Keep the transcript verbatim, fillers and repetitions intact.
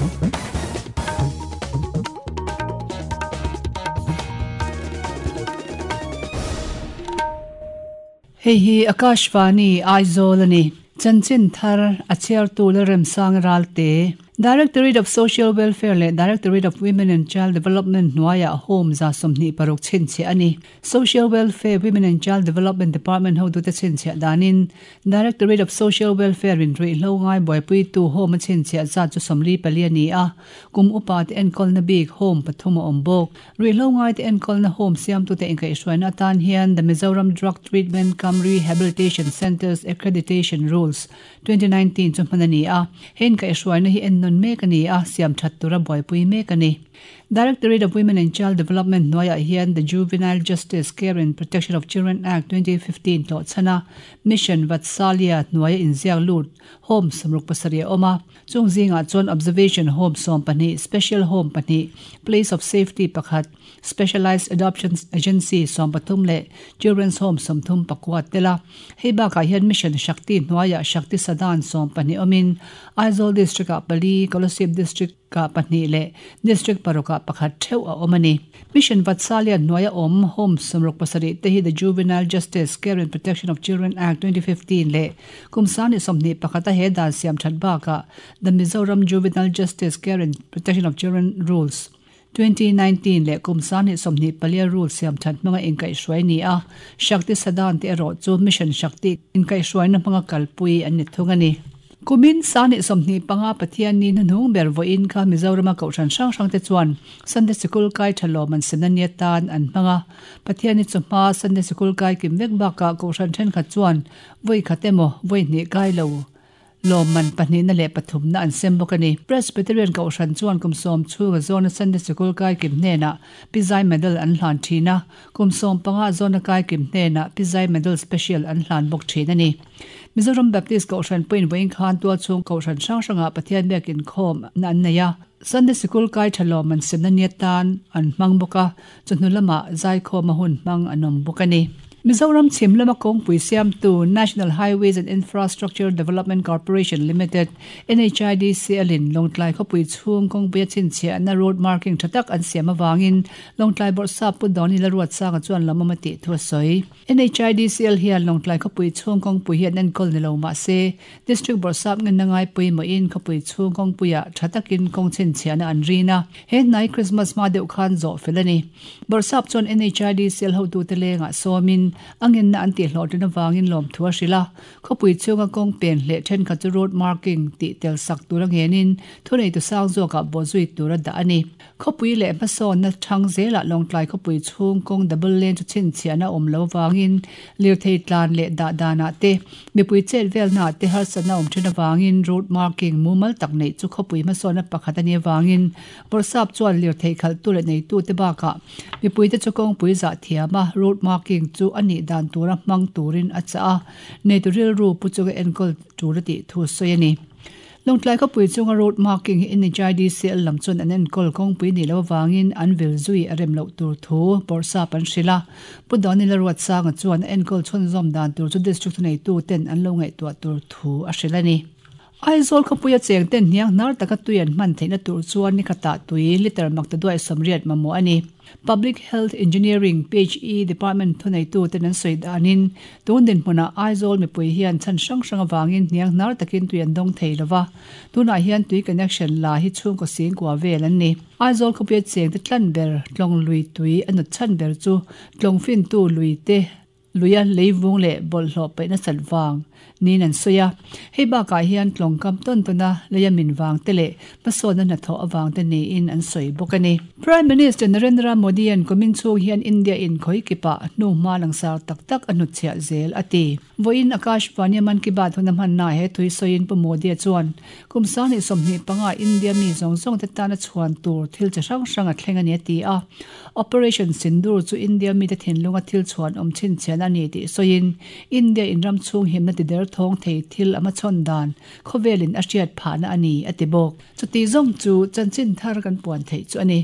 Hei hi Akashvani Aizawl ani chanchin thar a chhiar tu la remsang ralte Directorate of Social Welfare le Directorate of Women and Child Development hnuaiah home za sawmhnih paruk chhinchhiah ani. Social Welfare Women and Child Development Department ho tute chhinchhiah danin Directorate of Social Welfare in ruihhlo ngai buaipui tu home a chhinchhiah zat chu sawmli pali ani a kum upa te enkawlna bik home pathum a awm bawk ruihhlo ngai te enkawlna home siam tute inkaihhruaina atan hian the Mizoram Drug Treatment cum Rehabilitation Centres Accreditation Rules twenty nineteen chu hman ani a hen kaihhruaina hi en non mek ani a siam that tura buaipui mek ani. Directorate of Women and Child Development hnuaiah hian the Juvenile Justice Care and Protection of Children Act twenty fifteen tawh chhana Mission Vatsalya hnuaia inziak lut home sawmruk pasarih a awm a chung zingah chuan observation home sawm pahnih special home pahnih place of safety pakhat specialized adoption agency sawm pathum leh children's home sawmthum pakua tela hei bakah hian Mission Shakti hnuaiah Shakti Sadan sawm pahnih awmin Aizawl district ah pali Kolasib district ka pahnih leh district paruka pakhat theuh a awm ani. Mission Vatsalya hnuaia awm home sawmruk pasarih te hi the Juvenile Justice Care and Protection of Children Act twenty fifteen leh kum sangni sawmhnih pakhata he dan siam that bakah the Mizoram Juvenile Justice Care and Protection of Children Rules twenty nineteen leh kum sangni sawmhnih palia rules siam that hmanga inkaihhruai ni a Shakti Sadan te erawh chu Mission Shakti inkaihhruaina hmanga kalpui an ni thung ani. Kumin sangni sawmhnih panga Pathian ni hnuhnung ber vawiin kha Mizorama kohhran hrang hrang te chuan Sunday Sikul kai thalawm an semna nia tan an hmanga Pathian ni chawhma Sunday Sikul kai kim vek bakah kohhran thenkhat chuan vawi khat emaw vawi hnih kai lo lawm man pahnih na leh pathum na an sem bawk ani. Presbyterian kohhran chuan kum sawm chhunga zawna Sunday Sikul kai kim hnenah Pizai medal an hlan thin a kum sawm panga zawna kai kim hnenah Pizai medal special an hlan bawk thin ani. Mizoram Baptist kohhran pawhin vawiin khan tual chhung kohhran hrang hrangah Pathian biakin khawm na an nei a Sunday Sikul kai thalawm an semna nia tan an hmang bawk a chawhnu lamah zaikhawm a hun hmang an awm bawk ani. Mizoram chhim lama kawngpui siamtu National Highways and Infrastructure Development Corporation Limited N H I D C L in Lawngtlai khawpui chhung kawngpui a chhinchhiah na road marking tha tak an siam awangin Lawngtlai bawrhsap pu Dawni la ruat sanga chuan lamawm a tih thu a sawi. N H I D C L hian Lawngtlai khawpui chhung kawngpui hi an enkawl ni lo mahse district bawrhsap ngen na ngai pawimawhin khawpui chhung kawngpuiah tha takin kawng chhinchhiah na an rin a he hnai Christmas hma deuh khan zawh fel ani. Bawrhsap chuan N H I D C L hotute lengah sawmin angin na an ti hlawh tin awangin lawm thu a hrila khawpui chhunga kawng pen hleh thenkhat chu road marking tih tel sak tur a ngenin thunei tu sang zawkah bawhzui tur a dah ani. Khawpui leh hmasawn na thang zelah Lawngtlai khawpui chhung kawng double lane chu chhinchhiah na awm lo awangin lirthei tlan leh dah danah te mipui chet velna te harsatna awm thin awangin road marking mumal tak nei chu khawpui hmasawn na pakhat ani awangin bawrhsap chuan lirthei khalh tu leh nei tu te bakah mipui te chu kawngpui zah thiam a road marking chu ani dan tura hmang turin a cha a nei tu rilru pu chunga enkawl tur a tih thu sawi ani. Lawngtlai khawpui chunga road marking hi N H I D C L lam chuan an enkawl kawngpui ni lo awangin an vil zui a rem loh tur thu bawrhsap an hrila pu Dawni la ruat sanga chuan enkawl chhunzawm dan tur chu district nei tu ten an lo ngaihtuah tur thu a hril ani. Aizawl khawpuia cheng ten hniang hnar taka tui an hman theihna tur chuan ni khatah tui liter makta duai sawmriat mamawh ani. Public Health Engineering P H E Department thunei tu ten an sawi danin tun dinhmunah Aizawl mipui hian chhan hrang hrang awangin hniang hnar takin tui an dawng thei lova tunah hian tui connection la hi chhungkaw singkua vel an ni. Aizawl khawpuia cheng te tlan ber tlawng lui tui a nut chhan ber chu tlawng fin tu lui te luia leivung leh bawlhhlawh paihna sat vang nin an sawi a hei bakah hian tlawng kam tawn tawna leia min vang te leh hmasawnna hnathawh awang te niin an sawi bawk ani. Prime Minister Narendra Modi an kumin chhung hian India in khawi kipah hnu hma langsar tak tak a hnutchhiah zel a ti. Vawiin Akashvani Mann Ki Baat hun a hmanna he thui sawiin pu Modi a chuan kum sangni sawmhnih panga India mi zawng zawng te tana chhuan tur thil chi hrang hrang a thleng ani a ti a Operation Sindoor chu India mi te thinlunga thil chhuan awm chhinchhiahna ani tih sawiin India in ram chhung himna ti der thawng thei thil ama chhawn dan khawvelin a hriat phahna ani a ti bawk. Chuti zawng chu chanchin thar kan puan theih chu ani.